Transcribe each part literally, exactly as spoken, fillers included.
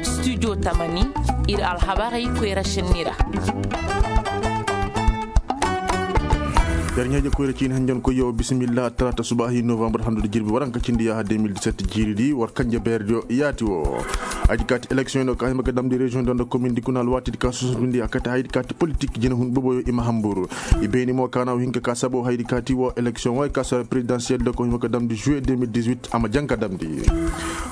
Studio tamani, ir alhabarey koyra šenni ra. Yer ɲaaje koyra ciini hanjankoyyo, bisimilla. Talaata subaahi novambar handu da jirbi waranka cindi yaaha deux mille dix-sept jiiridi war kanje beerediyo yaati wo. Ay di kaati eleksiyoŋ no ka hima ga damndi reziyoŋ di nda komin di kuna alwaati di ka susundi a kate hay di kaati politik jinahun boboyo i ma hambur. I beeni mo ka na wo hin ka ka sabo hay di kaati wo eleksiyoŋ wo ay ka sara perezidansiyel do ka hima ga damndi juwe deux mille dix-huit a ma jaŋ ka damndi.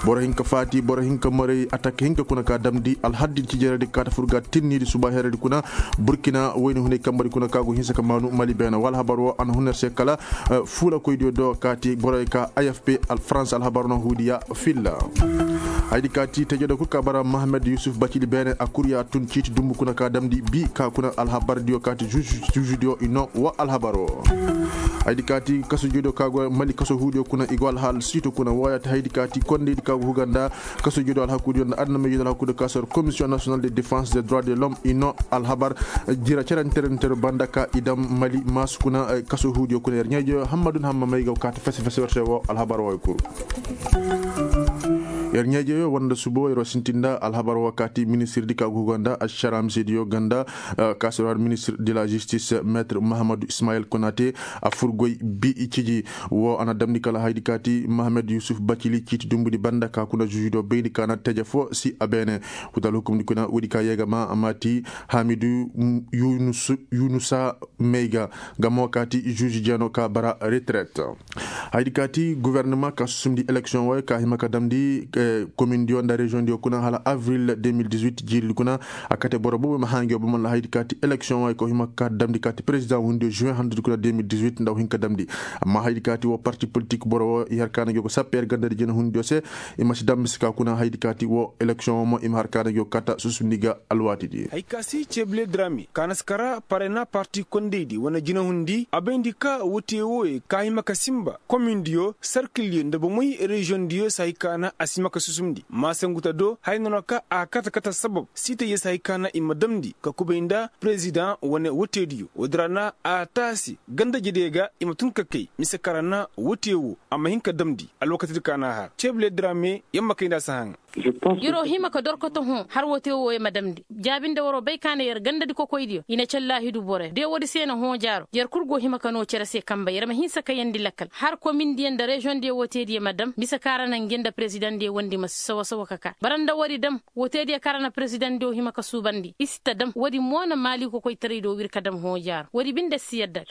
Boro hin ka faati, boro hin ka maray, atak hin ka kuna ka damndi alhaddi cijeredi ka ta fur ga tinni di suba heredi kuna. Burkina wayne hunay kambari kuna ka go hinsa ka maanu mali beena wala habar wo a na hun yer se kala. Fuulakoydiyo do kaati boroy ka afp, farans alhabar no huudiya filla. Hay di kaati tejedo kul ka bara mahamed yusuf bacili beene a kurya tun ciiti dumbu kuna ka damndi bi ka kuna alhabardiyo kaati juujudiyo i no wa alhabar wo. Hay di kaati kaso joydiyo ka go mali kaso huudiyo kuna i go alhaal siito kuna wooyaate hay di kaati kondeydi ka go huga nda kaso joydiyo alhakuudiyo nda adamey joydiyo alhakuudiyo ka sor komisiyoŋ nasional de defense de droit de l'homme i no alhabar. Jira ceranterentero banda ka i dam mali maasu kuna kaso huudiyo kuna yer ɲeejeyo hammadu nda hamma may ga kaati fese fese werte wo alhabar wo ay kuru. Yer ɲeejeyo wanda subo yer wo sinti nda alhabar wo kaati ministirdi ka go huga nda ašara misediyo ganda. Ka sor har ministir de la jistis metre mahamadu ismayil konate a fur goy bi ciji. Wo a na damndi kala haydi kaati mahamed yusuf bacili ciiti dumbudi banda ka kuna zuuzi do bayndi ka na teje fo si a beene. Kutal hukumdi kuna woodi ka yee ga ma a maati hamidu yunusa may ga. Nga mo kaati zuuzi jeeno ka bara reteret. Haydi kaati gofornama ka susumndi eleksiyoŋ wooyo ka hima ka damndi komindiyo nda reziyoŋdiyo kuna hala avril deux mille dix-huit jiiridi kuna. A kate boro boobo ma hã ngi wo bomo nda haydi kaati eleksiyoŋ wooyo ka hima ka damndi kaati perezidaŋ hundiyo juwe handudi kuna deux mille dix-huit nda wo hin ka damndi. Amma haydi kaati wo parti politik boro wo i har ka na ngi wo ga sappe yer gandadi jina hundiyo se. I ma si dambe si ka kuna haydi kaati wo eleksiyoŋ wo mo i ma har ka na ngi wo kata susumndi ga alwaatidi. Hay ka si cebile drame ka na si kara parena parti kondeydi wane jina hundi a bayndi ka wote wooyo ka hima ka sinba komindiyo sarkilyo nda bomey reziyoŋdiyo si hay ka na a si hima ka susumndi maasanguta do haya noona ka a kata kata sabab siitayyo si hay ka na i ma damndi ka kubay nda perezidaŋ wane wotediyo woodi ra na a taasi gandajediyo ga i ma tun ka kay mise ka ra na wote woo a ma hin ka damndi alwakatidi ka na a har cebile drame yer ma kay nda a si haŋa. Yer'o hima ka dorkoto hõ har wote wooyo ma damndi. Jaabi nda war'o bay ka na yer gandadi kokoydiyo i na callaahidu boroyo de woodi se na hõ jaaro yer kul go hima ka noo cere se kamba yer ma hinsa ka yeendi lakkal har komindiyo nda reziyoŋdiyo wotediyo ma dam mise ka ra na ngi nda perezidaŋdiyo wondi ma si sawa sawa ka kaa bara nda woodi dam. Wotediyo ka ra na perezidaŋdiyo hima ka suubandi i si ta dam woodi mo na maali kokoytaray do wir ka dam hõ jaaro woodi binde si yadda.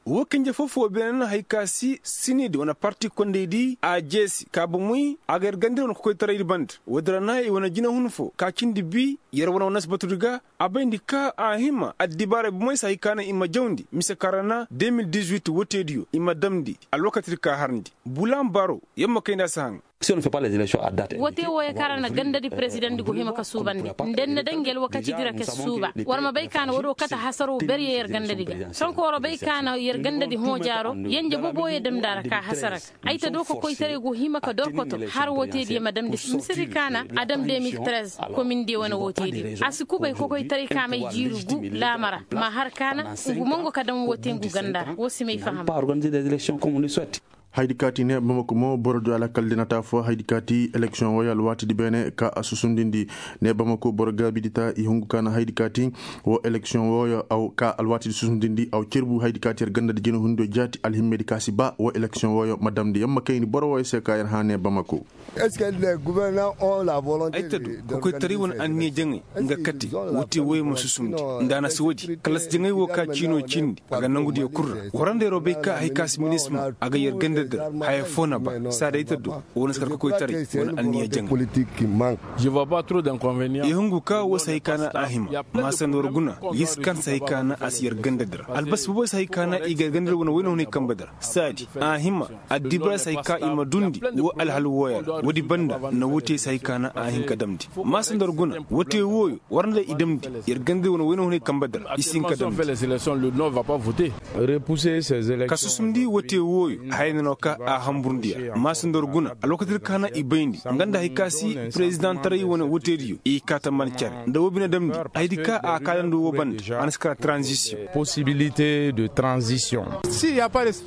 Woo kanje foo-foo beene na hay ka si sinidi wane parti kondaydi a jeesi ka bomey a ga yer gandadi wane kokoytaraydi banda woodi ra na i wane jinahun foo ka cindi bi yer wane wane si batudi ga a bayndi ka a hima addibaaray bomey si hay ka na i ma jawndi mise ka ra na deux mille dix-huit wotediyo i ma damndi alwakatidi ka harndi bulan baro yer ma kayndi a si haŋ. Wote wooyo ka ra na gandadi perezidaŋdi go hima ka suubandi nda ni na daŋ ngi alwakatidi ra ka si suuba war ma bay ka na woodoo kate hasaroo beryo yer gandadi ga sonkoo war bay ka na yer gandadi hõ jaaroo yenje boboyo damndi a ra ka hasara ga ay ta doo ka koytaray go hima ka dorkoto har wotediyo ma damndi misedi ka na a dam deux mille treize komindiyo wane wotediyo a si kubay kokoytaray ka may jiiri gu laama ra ma har ka na ngu mongo ka dam wote ngu ganda ra woo si may faham. Haydi kaati ne bamako mo boro du alakal di na taa fo haydi kaati eleksiyoŋ wooyo alwaatidi beene ka a susundindi ne bamako boro gaabidi taa i hungu ka na haydi kaati woo eleksiyoŋ wooyo aw ka alwaatidi susundindi aw cerbu haydi kaati yer ganda di jina hundiyo jaati alhimmedi ka si ba woo eleksiyoŋ wooyo ma damndi yer ma kayni boro wooyo se ka yer hã ne bamako. Ay ta du kokoytaray wane anniya jaŋay nga kate woo te wooyo ma susumndi nda a na si woodi kala si jaŋay woo ka ciinoo cindi a ga nongudiyo kul ra war nda yeroo bay ka hay ka si minisma a ga yer gandadi ra haya foo na ba saa day ta du woo na si kar kokoytaray wane anniya jaŋay. I hungu ka woo si hay ka na a hima maasandi war guna yer si kan si hay ka na a si yer gandadi ra albasi boboy si hay ka na i ga yer gandadi wane wayna hunay kambadi ra saadi a hima addibaray si hay ka i ma dundi woo alhal wooyo ra woodi banda na woo te si hay ka na a hin ka damndi maasandi war guna woo te wooyo war nda i damndi yer gandadi wane wayna hunay kambadi ra i si hin ka damndi. Ka susumndi woo te wooyo haya na Ka a hamburndi ya maasindor guna alwakati di ka na i bayndi nga nda hari ka si perezidantaray wane woteediyo i kaataman care nda woo bine damndi haydi ka a kaadandi woo bande a na si kara tranzisiyoŋ.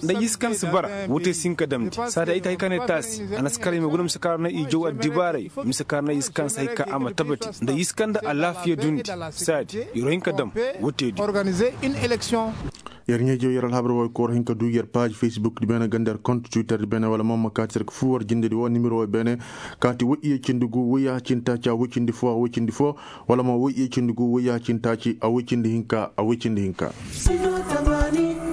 Nda yisi kaŋ si bara wote si hin ka damndi saadi ay ta hay ka ne taasi a na si kara i ma guna mise ka ra na i jaw addibaaray mise ka ra na yisi kaŋ si hay ka a ma tabati nda yisi kaŋ nda alaafiya dundi saadi yer wo hin ka dam woteediyo. Yer ɲaa-ijewey yer alhabar woo kooro hin ka du yer paaz facebook di beene ganda yer kont twitter di beene wala mo ma kaati yer ka fur war jindedi woo nimero woo beene kaati woy iye cindi gu woy yaaha cindi taaci a woy cindi foo a woy cindi foo wala mo woy iye cindi gu woy yaaha cindi taaci a woy cindi hinka a woy cindi hinka.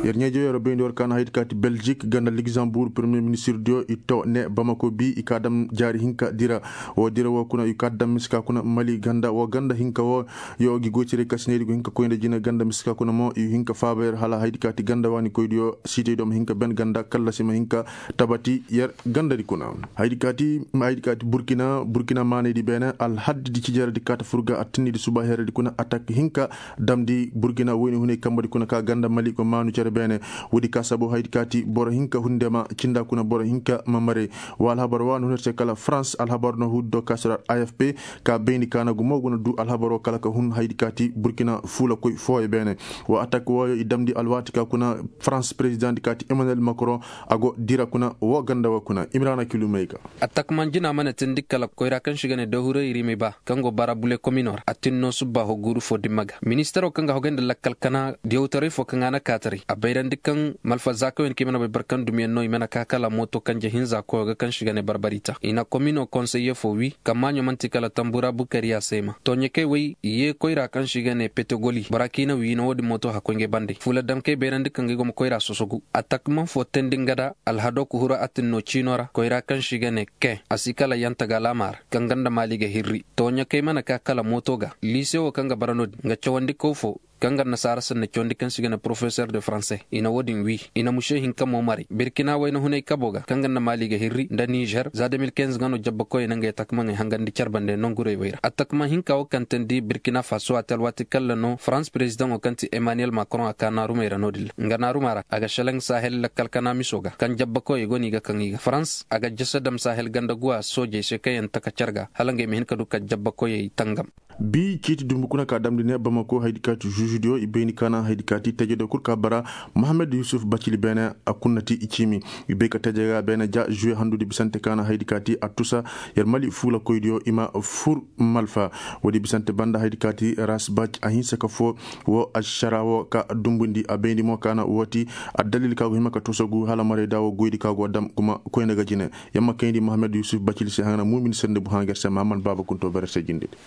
Yer ɲaa-ijewey yer bayndi war ka na haydi kaati beljik ganda ligzambur premiyer ministir diyo i to ne bamako bi i ka dam jaari hinka dira woo dira woo kuna i ka dam mise ka kuna mali ganda woo ganda hinka woo yo gi goytaray ka si needi go hin ka koy nda jine ganda mise ka kuna mo i hin ka faaba yer hala haydi kaati ganda waani koydiyo siitaydiyo ma hin ka ben ganda kallasi ma hin ka tabati yer gandadi kuna. Haydi kaati burkina burkina maanaydi beene alhaddi di cijaradi kaata fur ga attindi di suba heredi kuna atak hinka damndi burkina woyni hunay kambadi kuna ka ganda mali go maanu cere beene woodi ka sabu haydi kaati boro hinka hunde ma cinda kuna boro hinka ma maray wa alhabar wa no hunir se kala farans alhabar no huudi do ka sirar afp ka bayndi ka na gumo go na du alhabar woo kala ka hun haydi kaati burkina fuulakoy fooyo beene wa atak wooyo i damndi alwaati ka kuna farans perezidaŋ di kaati emmanuel macron a go dira kuna woo ganda woo kuna imrana kilumey ga. Atak man jina mana tindi kala koyra kaŋ si ga ne dahurey rimey ba kaŋ go bara bule komino ra a tin no subba ho guuru fo dimma ga ministaro kaŋ ga hogay nda lakkal kana diyawtaray fo kaŋ a na kaataray a bayrandi kaŋ malfa zaakayoŋ kaŋ i mana bay barkan dumiyaŋ no i mana ka kala mooto kanje hinza koyo ga kaŋ si ga ne barbari ta i na komino konseye fo wi kammaaɲo man'ti kala tambura bukariya seema tooɲakey wey i yee koyra kaŋ si ga ne petegoli bora kaŋ i na wi i na wo-din mooto hakkoy ngey bande fuula damkey bayrandi kaŋ ga ay go ma koyra sosogu atak man fo teendi nga da alhado kuhura a tin no ciino ra koyra kaŋ si ga ne ke a si kala yanta ga laama ra kaŋ ga nda maali ga hirri tooɲakey mana ka kala mooto ga liise wo kaŋ ga bara no-din nga cawandi kaw fo kaŋ ga nda saara sanna cawandi kaŋ si ga ne porofesor de faranse i na wo-din wi i na muse hinka mo maray birkina wayna hunay kabo ga kaŋ ga nda maali ga hirri nda nizer za de mil kinze ga no jabbakoyey na ngey takmaŋey hangandi care bande nongurey wey ra atakma hinka wo kaŋ teendi birkina faso a te alwaati kalla no farans perezidaŋo kaŋ ti emmanuel macron a ka naarumey ra no-din ra nga naaruma ra a ga selaŋ sahel lakkal kana miso ga kaŋ jabbakoyey go no i ga kaŋ i ga farans a ga jese dam sahel ganda guwa soojey se kaŋ yaŋ taka care ga hala ngey ma hin ka du ka jabbakoyey tangam. Bi ciiti dumbu kuna ka damndi ne bamako haydi kaati zuuzudiyo i bayndi ka na haydi kaati tajediyo kul ka bara mohammed yusuf bacili beene a kunnati i ciimi i bay ka taje ga beene ja zuwe handudi bisante ka na haydi kaati a tusa yer mali fuulakoydiyo i ma fur malfa woodi bisante banda haydi kaati ras bac a hinsa ka foo woo ašara woo ka dumbundi a bayndi mo ka na wooti addalil ka go hima ka tusa gu hala marayda woo goydi ka go dam kuma koyna ga jine. Yamma kayndi mohammed yusuf bacili se haŋ na muumin sirndi bu haŋ ger se mahammad baaba kunto bere se jindidi.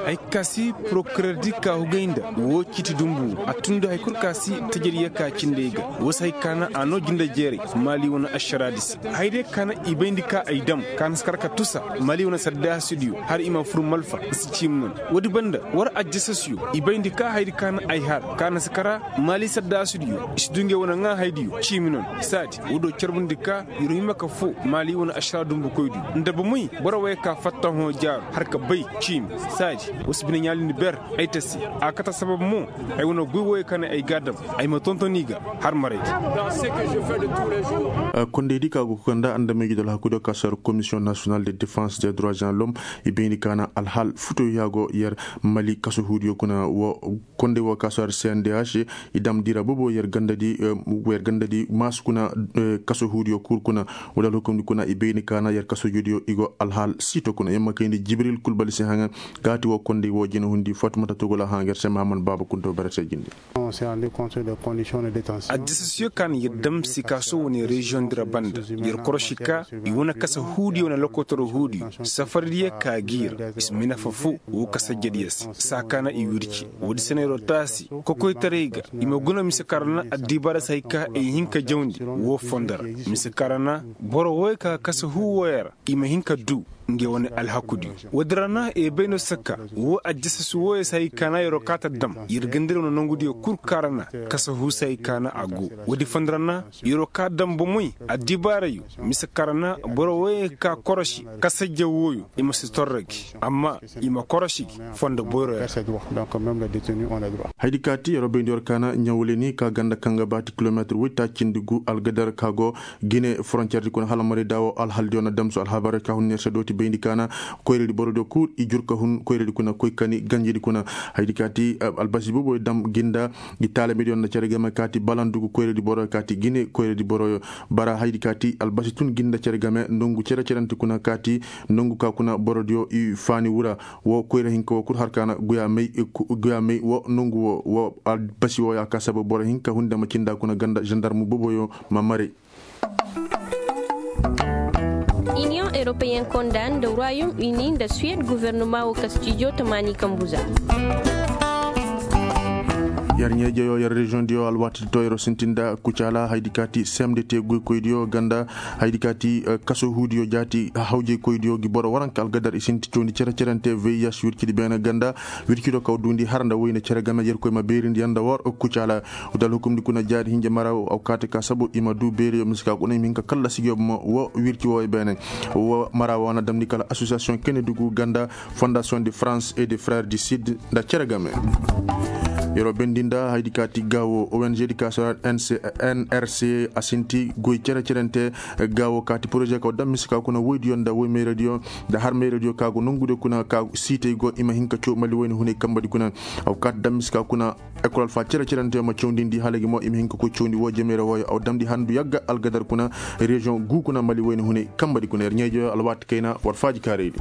Ay ka si porokirer di ka hugay nda woo ciiti dumbu a tun nda hay kul ka si tajir yee ka cindey ga woo si hay ka na a noo jinde jeeray maali wane ašaraadi se. Hay day ka na i bayndi ka ay dam ka na si kar ka tusa maali wane saddaasidiyo har i ma fur malfa i si ciimi noon. Woodi banda war ajjasasiyo i bayndi ka haydi ka na ay har ka na si kara maali saddaasidiyo i si du ngey wane ŋaa haydiyo ciimi noon saadi woo do carbundi ka yer hima ka foo maali wane ašaraa dumbukoydiyo nda bomey boro wey ka fatta hõ jaaru har ka bay ciimi saadi woo si bine ɲaalindi ber ay ta se. A kate sabab mo ay wane guy woyey ka ne ay ga a dam ay ma tonton i ga har maray. Kondaydi ka go ka nda andamey jidol hakkudiyo ka sar komisiyoŋ nasiyonal de defans de droit en lom i bayndi ka na alhal futoyaago yer mali kaso huudiyo kuna wo konday wo ka sar cndh i dam dira bobo yer gandadi maasu kuna kaso huudiyo kul kuna. Wala alhukumdi kuna i bayndi ka na yer kaso jodiyo i go alhal siito kuna yamma kayndi jibril kulbali se haŋa gaati wo konday wo jina hundi fatumata togola haŋa ger se mahammad baaba kunto bere se jindi. Addisasiyo ka na yer dam sikaaso wane reziyoŋ dira banda yer korosi ka i wane kasa huudiyo wane lokotoro huudiyo safardiyo ka gi ra i si ma nafa foo woo kasa jediyo se saa ka na i wirci woodi se na yeroo taasi kokoytaray ga i ma guna mise ka ra na addibaara se hay ka ay hin ka jawndi woo fondo ra mise ka ra na boro woy ka kasa huu woyey ra i ma hin ka duu. nga wane alhakudiyo. Woodi ra na i bay no sakka wo aljasas wooyo se hay kaana yer'o kaata dam yer gandira wane nongudiyo kul kaara na kasa huusa hay kaana a go. Woodi fondo ra na yer'o kaa dam bomey addibaarayo mise kaara na boro wooyo ka korosi kasajja wooyo i ma si torro gi amma i ma korosi gi fondo boyro ya. Haydi kaati yer'o bayndi yor kaana ɲawleni ka ganda kaŋ ga baati kilomeetir woytaacindi gu algadar ka go gine foronceer di kuna hala marayda wo alhaldiyo na damsu alhabar ka hun yer se dooti bayndi kaana koyradi borodiyo kul i jur ka hun koyradi kuna koy kani ganjidi kuna. Haydi kaati albasi booboyo dam ginda gi taalamediyo nda cere game kaati balandugu koyradi boroyo kaati gine koyradi boroyo bara haydi kaati albasi tun ginda cere game nongu cere cerante kuna kaati nongu ka kuna borodiyo i faani wura. Wo koyra hinka wo kul har kaana guya may guya may wo nongu wo wo albasi wo ya ka sabu boro hinka hunde ma cinda kuna ganda zandarmu booboyo ma maray. Iniyoŋ eropeyen konda nda ruwayum ini nda suwed guvernuma wo kastijo tamaani kambuza. Yar ɲeejeyo yar reziyoŋ diyo alwaati to yaro sintinda kucaala haydi kaati semde te goykoydiyo ganda haydi kaati kaso huudiyo jaati hawjaykoydiyo gi boro waranka algadar i sinti cawndi cere cerante vih wircidi beene ganda wircido kaw duundi har nda woyne cere game yerkoy ma beerindi yanda wor kucaala. Wutal hukumdi kuna jaari hinja mara aw kaate ka sabu i ma du beeriyo mise ka kuna i ma hin ka kallasi gi yobo ma wo wirci wooyo beene. Wo mara wo na damndi kala asosiyasiyoŋ kene dugu ganda fondasiyoŋ de farans et de frères du sud nda cere game. Yeroo bendi nda haydi kaati gaawo ong di ka sara nrc a sinti goy cere cerente. Gaawo kaati poroze ka wo dam mise ka kuna woydiyo nda woy mayradiyo nda har mayradiyo ka go nongude kuna ka siitey go i ma hin ka caw mali woyne hunay kambadi kuna. Aw kaati dam mise ka kuna ekol alfa cere cerante ma cawndindi hala gi mo i ma hin ka koy cawndi woo jemeere wooyo aw damndi handu yagga algadar kuna reziyoŋ guu kuna mali woyne hunay kambadi kuna yer ɲeejo alwaati kayna war faaji kaaraydi.